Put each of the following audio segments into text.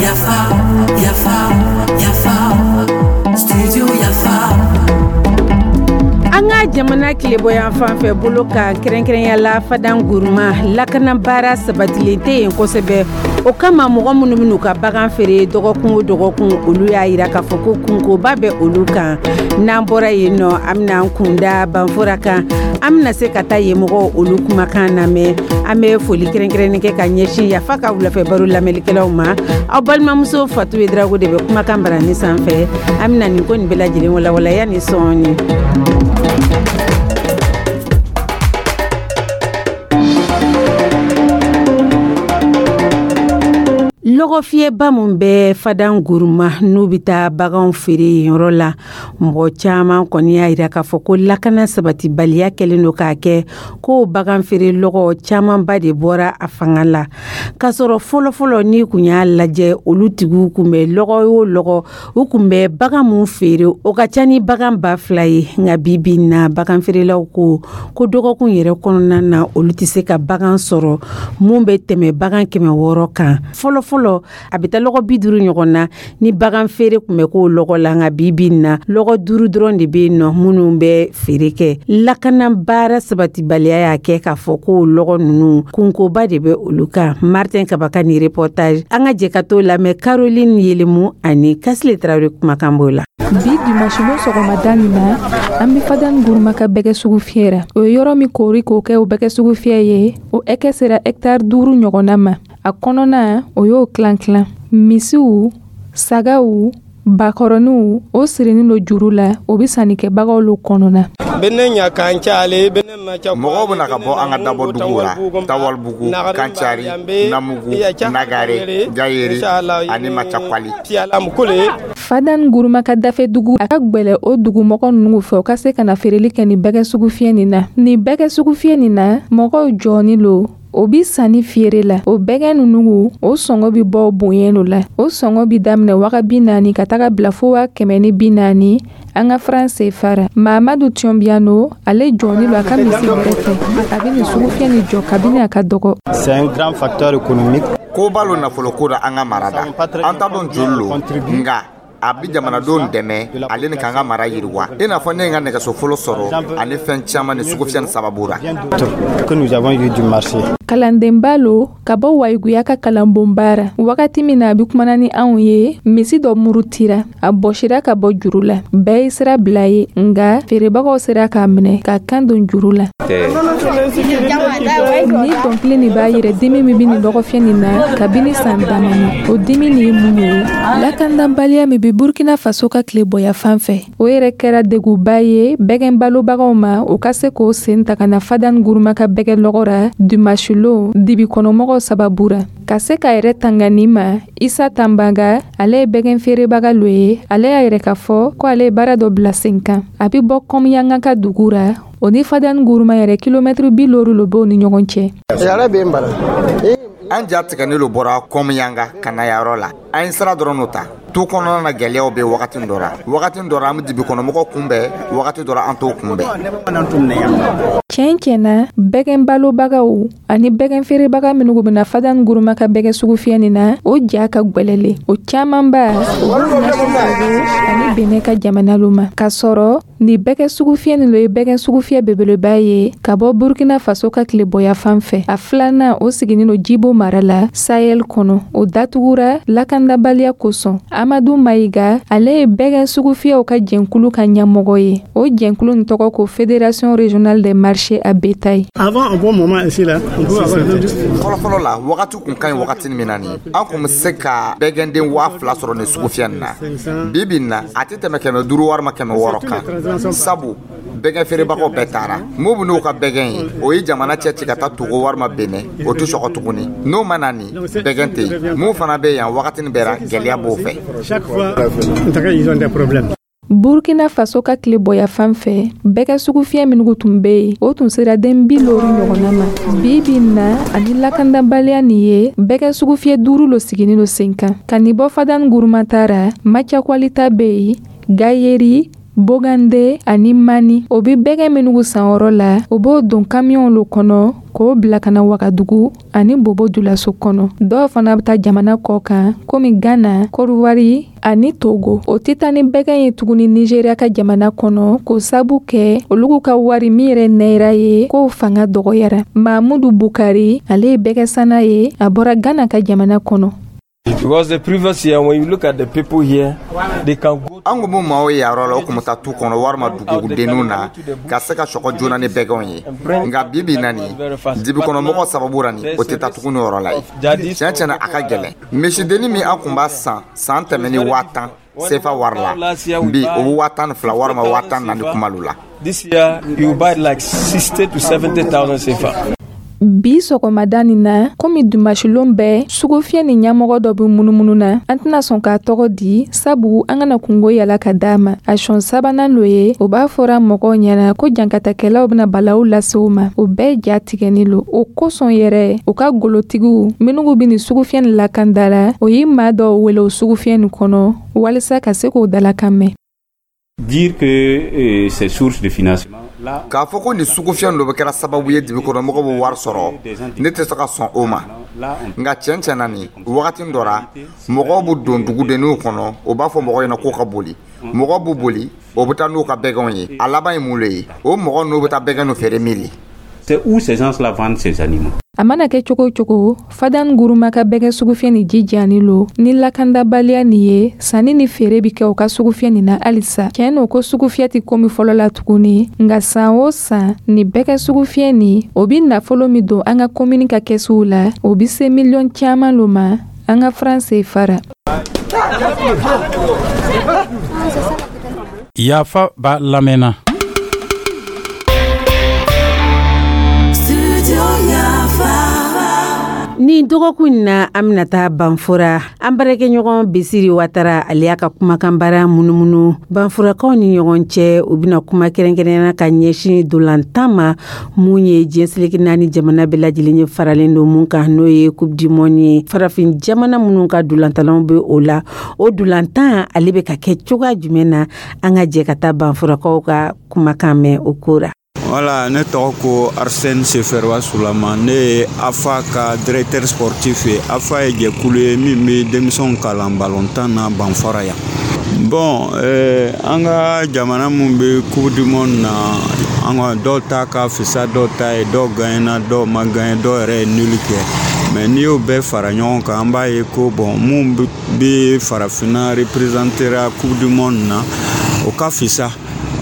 Yafa, yafa, yafa, studio Yafa. An ka jamana tilebɔyan fan fɛ bolo kan, kɛrɛnkɛrɛnya la Fadan Guruma, lakana baara sabatilen tɛ yen kosɛbɛ. O kama, mɔgɔ minnu bɛn'u ka bagan feere dɔgɔkun o dɔgɔkun, olu y'a yira k'a fɔ ko kunkoba bɛ olu kan. N'an bɔra yen nɔ, an bɛna an kunda Banfora kan. An bɛna se ka taa yen mɔgɔw olu kumakan lamɛn. An bɛ foli kɛrɛnkɛrɛnnen kɛ ka ɲɛsin Yafa ka wulafɛ baro lamɛnlikɛlaw ma. Aw balimamuso Fatu Drago de bɛ kumakan barani sanfɛ. An bɛna nin ko nin bɛɛ lajɛlen walawala yanni sɔɔni. Lɔgɔfiyɛba min bɛ Fadan Guruma, n'u bɛ taa baganw feere yen yɔrɔ la, mɔgɔ caman kɔni y'a yira k'a fɔ ko lakana sabatibaliya kɛlen don k'a kɛ ko bagan feere lɔgɔ camanba de bɔra a fanga la, k'a sɔrɔ fɔlɔfɔlɔ, n'i kun y'a lajɛ, olu tigiw kun bɛ lɔgɔ o lɔgɔ, u kun bɛ bagan mun feere, o ka ca ni bagan 2000 ye. Nka bi bi in na, bagan feerelaw ko ko dɔgɔkun yɛrɛ kɔnɔna na, olu tɛ se ka bagan sɔrɔ mun bɛ tɛmɛ bagan 600 kan. Fɔlɔfɔlɔ, a bɛ taa lɔgɔ 50 ɲɔgɔn na ni bagan feere tun bɛ k'o lɔgɔ la. Nka bi bi in na, lɔgɔ duuru dɔrɔn de bɛ yen nɔ minnu bɛ feere kɛ. Lakana baara sabatibaliya y'a kɛ k'a fɔ ko lɔgɔ ninnu, kunkoba de bɛ olu kan. Martin Kaba ka nin reportage, an ka jɛ ka t'o lamɛn. Caroline Yelemu ani Kasile Tarawele kumakan b'o la. Bi dimanche sɔgɔmada nin na, an bɛ Fadan Guruma ka bɛgɛ sugu fiyɛ ra. O ye yɔrɔ min koori k'o kɛ o bɛgɛ sugu fiyɛ ye, o ɛkɛ sera hɛkitari 5 ɲɔgɔnna ma. A kɔnɔna, o y'o tilan tilan. Misiw, sagaw, bakɔrɔniw, o sirinin don juru la, o bɛ sannikɛbagaw lo kɔnɔna. Mɔgɔw bɛna ka bɔ an ka dabɔ dugu la: Tawalibugu, Kancari, Namugu, Nagare, Gayeri ani Macakwali. Fadan Guruma ka dafɛ dugu, a ka gwɛlɛ o dugumɔgɔ ninnu fɛ, u ka se ka na feereli kɛ nin bɛgɛ sugu fiyɛ nin na. Nin bɛgɛ sugu fiyɛ nin na, mɔgɔw jɔni lo, o bi sanni feere la. O bɛgɛ ninnu, o sɔngɔ bi bɔ bonya lo la. O sɔngɔ bi daminɛ 40 000 ka taga bila fo 140 000 an ka franc CFA ra. Mamadu Tiɔnbiyano, ale jɔni lo a ka misi bɛrɛ fɛ. A bɛ nin sugufiyɛ nin jɔ kabini a ka dɔgɔ. C'est un grand facteur économique. Koba lo nafoloko la an ka mara da. An t'a dɔn joli lo, nka a bi jamanadenw dɛmɛ ale ni k'an ka mara yiriwa, i n'a fɔ ne ye n ka nɛgɛso fɔlɔ sɔrɔ ani fɛn caman ni sugufiyɛ ni sababu ra. Que nous avons eu du marché. Kalandenba lo ka bɔ Wayiguya ka kalanbonba ra. Wagati min na a bɛ kumana ni anw ye, misi dɔ murutira, a bɔsira ka bɔ juru la. Bɛɛ ye sira bila ye, nga feerebagaw sera k'a minɛ ka kan don juru la. Ni dɔnkili nin b'a yɛrɛ dimi min bɛ nin lɔgɔfiyɛ nin na kabini san damani. O dimi nin ye mun ye? Lakanabaliya min bɛ Burkina Faso ka tilebɔya fan fɛ, o yɛrɛ kɛra deguba ye bɛgɛn balobagaw ma, o ka se k'o sen ta ka na Fadan Guruma ka bɛgɛ lɔgɔ ra dimanche dibi kɔnɔmɔgɔw sababu ra, ka se ka yɛrɛ tanga nin ma. Isa Tanbaga, ale ye bɛgɛn feerebaga lo ye. Ale y'a yɛrɛ k'a fɔ ko ale ye baara dɔ bila sen kan. A bɛ bɔ Kɔmiyanga ka dugu ra. O ni Fadan Guruma yɛrɛ, kilomɛtiri 50 lo b'o ni ɲɔgɔn cɛ. An ja tigɛnen lo bɔra Kɔmiyanga ka na yɔrɔ la. An ye sira dɔrɔn n'o ta tu kɔnɔna na. Gɛlɛyaw bɛ wagati dɔ la, wagati dɔ la an bɛ dibi kɔnɔmɔgɔw kunbɛn, wagati dɔ la an t'o kunbɛn. Tiɲɛ tiɲɛ na, bɛgɛn balobagaw ani bɛgɛn feerebaga minnu bɛna Fadan Guruma ka bɛgɛ sugu fiyɛ nin na, o ja ka gwɛlɛlen. O camanba, o b'u ɲɛsin Togo ani Benin ka jamana lo ma, k'a sɔrɔ nin bɛgɛ sugu fiyɛ nin lo ye bɛgɛ sugu fiyɛ belebeleba ye ka bɔ Burkina Faso ka tilebɔya fan fɛ. A filanan, o siginin lo Jibo mara la, Sahel kɔnɔ. O datugura lakandabaliya kosɔn. Amadu Mayiga, ale ye bɛgɛ sugu fiyɛw ka jɛnkulu ka ɲɛmɔgɔ ye. O jɛnkulu nin tɔgɔ ko Fédération régionale des marchés à bétail. Avant, un bon moment ici là, on peut avoir Fɔlɔfɔlɔ la, wagati kun ka ɲi. Wagati min na nin, an kun bɛ se ka bɛgɛnden 2000 sɔrɔ nin sugufiyɛ nin na. Bi bi in na, a tɛ tɛmɛ 500 walima 600 kan, sabu bɛgɛn feerebagaw bɛɛ taara. Mun bɛ n'u ka bɛgɛn ye, o ye jamana cɛ ci ka taa Togo walima Benin, o tɛ sɔgɔ tuguni. N'o ma na nin, bɛgɛn tɛ yen. Mun fana bɛ yan, wagati bɛɛ la gɛlɛya b'o fɛ. Chaque fois, en tout cas, ils ont des problèmes. Burkina Faso ka tilebɔya fan fɛ, bɛgɛ sugufiyɛ minnu tun bɛ yen, o tun sera den 50 ɲɔgɔnna ma. Bi bi in na, ani lakandabaliya nin ye, bɛgɛ sugufiyɛ duuru lo siginin lo sen kan. Ka nin bɔ Fadan Guruma ta ra, Macakwalita bɛ yen, Gayeri. Bogande ani Mani. O bi bɛgɛ minnugu san yɔrɔ la, o b'o don kamiyɔnw lo kɔnɔ k'o bila ka na Wagadugu ani Bobo Julaso kɔnɔ. Dɔw fana bɛ taa jamana kɔ kan komi Gana, Kɔdiwari ani Togo. O tɛ taa ni bɛgɛn ye tuguni Nizeriya ka jamana kɔnɔ, k'o sabu kɛ olugu ka wari min yɛrɛ nayira ye, k'o fanga dɔgɔyara. Mamudu Bukari, ale ye bɛgɛsanna ye, a bɔra Gana ka jamana kɔnɔ. Because the previous year, when you look at the people here, they can go. An kun bɛ maaw ye yɔrɔ la, o kun bɛ taa tu kɔnɔ walima dugudenninw na ka se ka sɔgɔ joona ni bɛgɛnw ye. Nka bi bi na nin, dibikɔnɔmɔgɔ sababu la nin, o tɛ taa tuguni yɔrɔ la ye. Tiɲɛ tiɲɛ na, a ka gɛlɛn. Misidennin min an kun b'a san san tɛmɛni 10 000 sefa wari la, bi o bɛ 12 000 walima 14 000 kumalu la. This year, you buy like 60 to 70,000 CFA. Bi sɔgɔmada nin na, komi dimansilon bɛɛ sugufiyɛ ni ɲɛmɔgɔ dɔ bɛ munumunu na, an tɛna sɔn k'a tɔgɔ di, sabu an kana kungo yala ka d'a ma. A sɔn sabanan lo ye, o b'a fɔra mɔgɔw ɲɛna ko jankatakɛlaw bɛna balawu lase u ma. O bɛɛ ja tigɛni lo. O kosɔn yɛrɛ, u ka golotigiw minnu bɛ nin sugufiyɛ nin lakanda la, o ye maa dɔw wele o sugufiyɛ nin kɔnɔ walisa ka se k'o dalakan mɛn. Dire que ces sources de financement K'a fɔ ko nin sugufiyɛ dɔ bɛ kɛra sababu ye dibikɔnɔmɔgɔw bɛ wari sɔrɔ, ne tɛ se ka sɔn o ma. Nka tiɲɛ tiɲɛ na, nin wagati dɔ ra, mɔgɔw bɛ don dugudenninw kɔnɔ, o b'a fɔ mɔgɔw ɲɛna k'o ka boli. Mɔgɔw b'u boli, o bɛ taa n'u ka bɛgɛnw ye. A laban ye mun le ye? O mɔgɔ n'u bɛ taa bɛgɛnw feere min le? C'est où ces gens-là vendent ces animaux. A mana kɛ cogo o cogo, Fadan Guruma ka bɛgɛ sugufiyɛ ni jijani lo ni lakandabaliya nin ye, sanni ni feere bi kɛ u ka sugufiyɛ nin na halisa. Tiɲɛ n'o ko sugufiyɛ tɛ komi fɔlɔ la tuguni, nka san o san ni bɛgɛ sugufiyɛ nin, o bi nafolo min don an ka komini ka kɛsuw la, o bi se miliyɔn caman lo ma an ka franc CFA ra. Yafa ba lamɛnna. Nin dɔgɔkun in na, an bɛna taa Banfora. An baarakɛɲɔgɔn Besiri Watara, ale y'a ka kumakan baara munumunu Banforakaw ni ɲɔgɔn cɛ. U bɛna kuma kɛrɛnkɛrɛnnenya ka ɲɛsin dolantan ma, mun ye diɲɛ seleke naani jamana bɛɛ lajɛlen ye faralen don mun kan, n'o ye Coupe du monde ye. Farafin jamana minnu ka dolantanlaw bɛ o la, o dolantan ale bɛ ka kɛ cogoya jumɛn na? An ka jɛ ka taa Banforakaw ka kumakan mɛn o ko ra. Voilà, ne tɔgɔ ko Arsène Seferwa Sulama. Ne ye AFA ka directeur sportif ye. AFA ye jɛkulu ye min bɛ denmisɛnw kalan balontan na Banfora yan. Bon, an ka jamana mun bɛ Coupe du monde na, an ka dɔw ta ka fisa dɔw ta ye, dɔw gagnena, dɔw ma gagné, dɔw yɛrɛ ye nul kɛ. Mais n'i y'o bɛɛ fara ɲɔgɔn kan, an b'a ye ko bon, mun bɛ farafinna représentera Coupe du monde na, o ka fisa.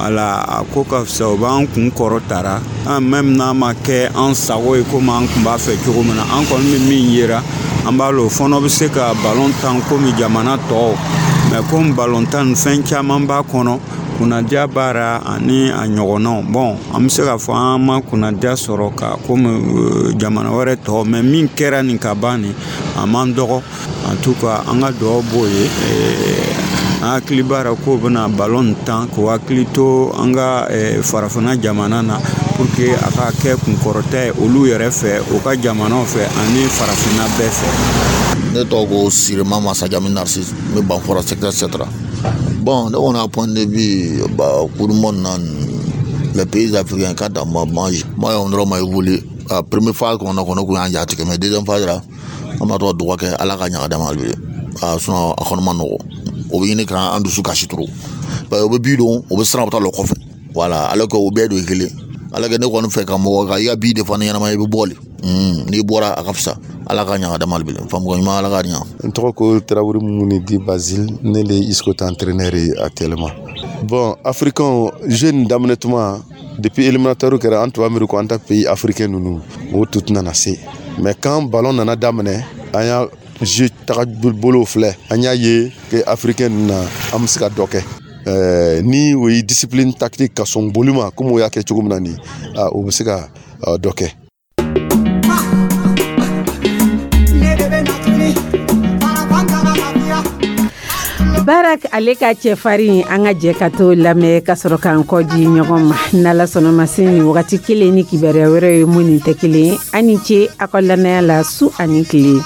Wala, a ko ka fisa, o b'an kun kɔrɔ tara an même n'a ma kɛ an sago ye komi an kun b'a fɛ cogo min na. An kɔni bɛ min yera, an b'a lɔn o fana bɛ se ka balon tan komi jamana tɔw, mais komi balon tan nin fɛn caman b'a kɔnɔ, kunnadiya b'a ra ani a ɲɔgɔnnaw. Bon, an bɛ se k'a fɔ an ma kunnadiya sɔrɔ ka komi jamana wɛrɛ tɔw, mais min kɛra nin ka ban nin, a man dɔgɔ. En tout cas, an ka dugawu b'o ye. An hakili b'a la k'o bɛna balon tan k'o hakili to an ka farafinna jamana na, pour que a ka kɛ kunkɔrɔta ye olu yɛrɛ fɛ, u ka jamanaw fɛ ani farafinna bɛɛ fɛ. Ne tɔgɔ ko Sirima Masajami Narcisse, n bɛ Banfora secteur 7 la. Bon, ne kɔni ka point de vue, bah, Coupe du monde na, les pays africains ka dan ma, moi on dɔrɔn ma évolué. A première phase kɔnɔ kɔnɔ kun y'an ja tigɛ, mais deuxième phase la, an b'a to ka dugawu kɛ Ala ka ɲaga d'a ma hali bi. A sinon a kɔni ma nɔgɔ, o bɛ ɲini k'an dusu kasi trop, parce que o bɛ bi don, o bɛ siran, u bɛ taa lɔ kɔfɛ. Voilà, alors que o bɛɛ don ye kelen. Alors que ne kɔni fɛ ka mɔgɔ ka i ka bi de fana ɲɛnama, i bɛ bɔ le, n'i bɔra a ka fisa. Ala ka ɲaga d'a ma hali bi, faamuko ɲuman, Ala ka ɲa. N tɔgɔ ko Tarawele Mumuni di Basile, ne le ye ISCO entraîneur ye actuellement. Bon, africain jeune daminɛ tuma, depuis éliminatoire kɛra, an tun b'a miiri ko an ta pays africain ninnu o tun tɛna na se. Mais quand ballon nana daminɛ, an y'a jeu taga bolo filɛ, an y'a ye que africain ninnu na, an bɛ se ka dɔ kɛ. Ni o ye discipline tactique ka sɔn boli ma komi o y'a kɛ cogo min na nin, o bɛ se ka dɔ kɛ. Barak ale ka cɛfarin, an ka jɛ ka to lamɛn ka sɔrɔ k'an kɔ di ɲɔgɔn ma. N'Ala sɔnna ma, se nin wagati kelen ni kibaruya wɛrɛ ye mun nin tɛ kelen ye. An ni ce aw ka lamɛnya la su ani tile.